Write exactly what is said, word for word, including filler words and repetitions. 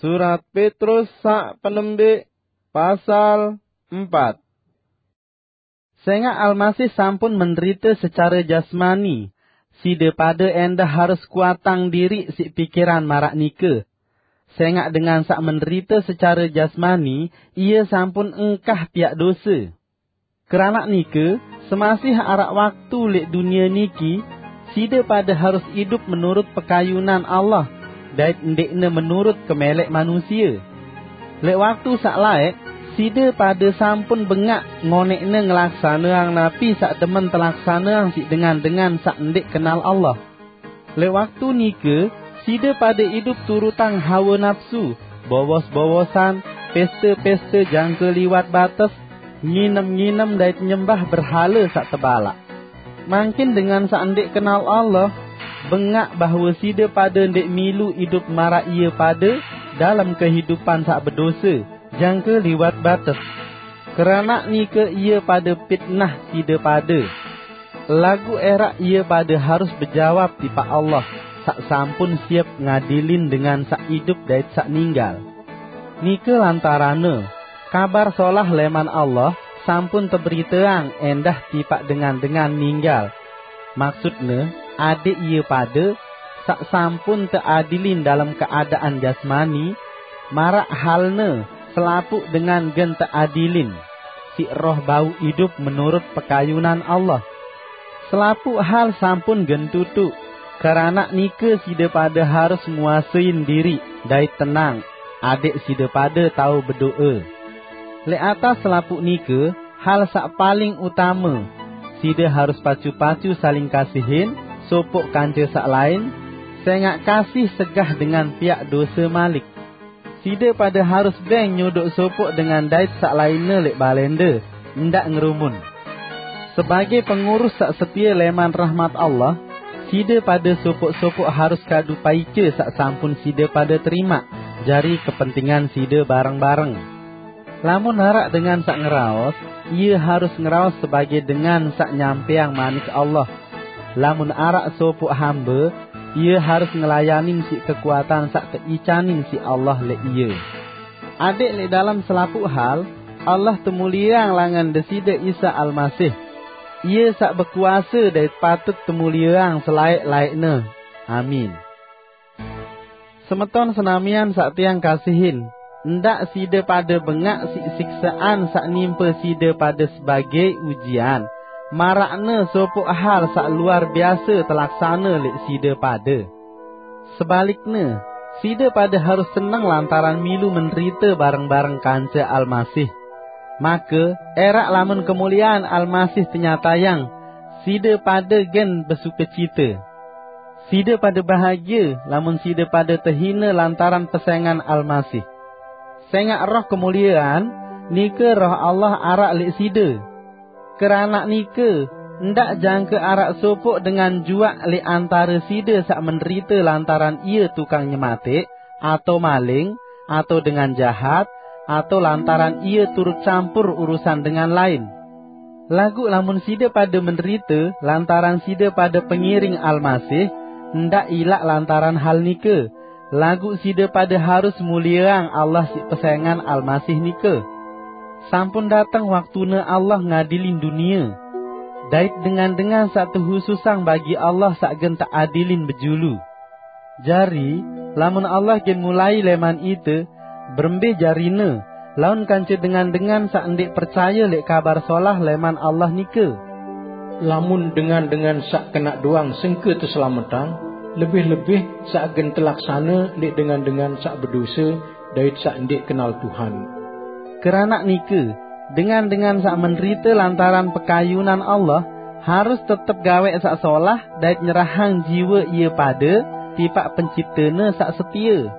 Surat Petrus sak penembik, pasal empat. Sengak Almasih sampun menderita secara jasmani, sida pada endah harus kuatang diri sik pikiran marak nika. Sengak dengan sak menderita secara jasmani, ia sampun engkah piak dosa. Keranak nika, semasih arak waktu lek dunia niki, sida pada harus idup menurut pekayunan Allah, dait ndikne menurut kemelek manusia. Lek waktu sak laek, sida pada sampun bengak ngonekne ngelaksaneang napi sak demen telaksaneang sik dengan-dengan sak ndik kenal Allah. Lek waktu nika, sida pada idup turutang hawa napsu, bowos-bowosan, pesta-pesta jangka liwat bates, nginem-nginem dait nyembah berhala sak tebalak. Mangkin dengan sak ndik kenal Allah, bengak bahwa sida pada ndik milu idup marak ia pada dalam kehidupan sak bedosa, jangka liwat bates. Keranak nika ia pada pitnah sida pada. Lagu erak ia pada harus bejawab tipak Allah, sak sampun siap ngadilin dengan sak idup dait sak ninggal. Nika lantarane, kabar solah leman Allah sampun teberiteang endah tipak dengan-dengan ninggal. Maksudne, adik ia pada, sak sampun teadilin dalam keadaan jasmani, marak halne, selapuk dengan gen teadilin, sik roh bau idup menurut pekayunan Allah. Selapuk hal sampun gen tutuk, keranak nika sida pada harus nguasain diri dait tenang, adik sida pada tau bedoa. Lek atas selapuk nika, hal sak paling utama, sida harus pacu-pacu saling kasihin, sopok kanca sak lain, sengak kasih segah dengan piak dosa malik. Sida pada harus beng nyodok sopok dengan dait sak lainne lek balenda, ndak ngerumun. Sebagai pengurus sak setia leman rahmat Allah, sida pada sopok-sopok harus kadu paica sak sampun sida pada terima, jari kepentingan sida bareng-bareng. Lamun arak dengan sak ngeraos, ia harus ngeraos sebagai dengan sak nyampeang manik Allah. Lamun arak sopok hamba, ia harus ngelayanin sik kekuatan sak teicanin sik Allah lek ia. Adik lek dalam selapuk hal, Allah temulieang langan desida Isa Almasih. Ia sak bekuasa dait patut temulieang selaek-laekne. Amin. Semeton senamian sak tiang kasihin, ndak sida pada bengak sik siksaan sak nimpa sida pada sebagai ujian, marakne sopok hal sak luar biasa telaksana lek sida pada. Sebalikne, sida pada harus seneng lantaran milu menderita bareng-bareng kanca Almasih. Maka, erak lamun kemuliaan Almasih tenyatayang, sida pada gen besukecita. Sida pada bahagia lamun sida pada tehina lantaran pesengan Almasih. Sengak roh kemuliaan, nika roh Allah arak lek sida. Keranak nika, ndak jangka arak sopok dengan juak lek antara sida sak menderita lantaran ia tukang nyematik, atau maling, atau dengan jahat, atau lantaran ia turut campur urusan dengan lain. Lagu lamun sida pada menderita lantaran sida pada pengiring Almasih, ndak ilak lantaran hal nika, lagu sida pada harus muliaang Allah sik pesengan Almasih nika. Sampun dateng waktune Allah ngadilin dunia. Dait dengan-dengan sak tehususang bagi Allah sak gen teadilin bejulu. Jari, lamun Allah gen mulai leman ite, berembe jarine, laun kanca dengan-dengan sak ndik percaya lek kabar solah leman Allah nika. Lamun dengan-dengan sak kena doang sengke teselametang, lebih-lebih sak gen telaksana lek dengan-dengan sak bedosa dait sak ndik kenal Tuhan. Keranak nika, dengan-dengan sak menderita lantaran pekayunan Allah, harus tetep gawek sak solah dait nyerahang jiwa ia pada tipak Penciptane sak setia.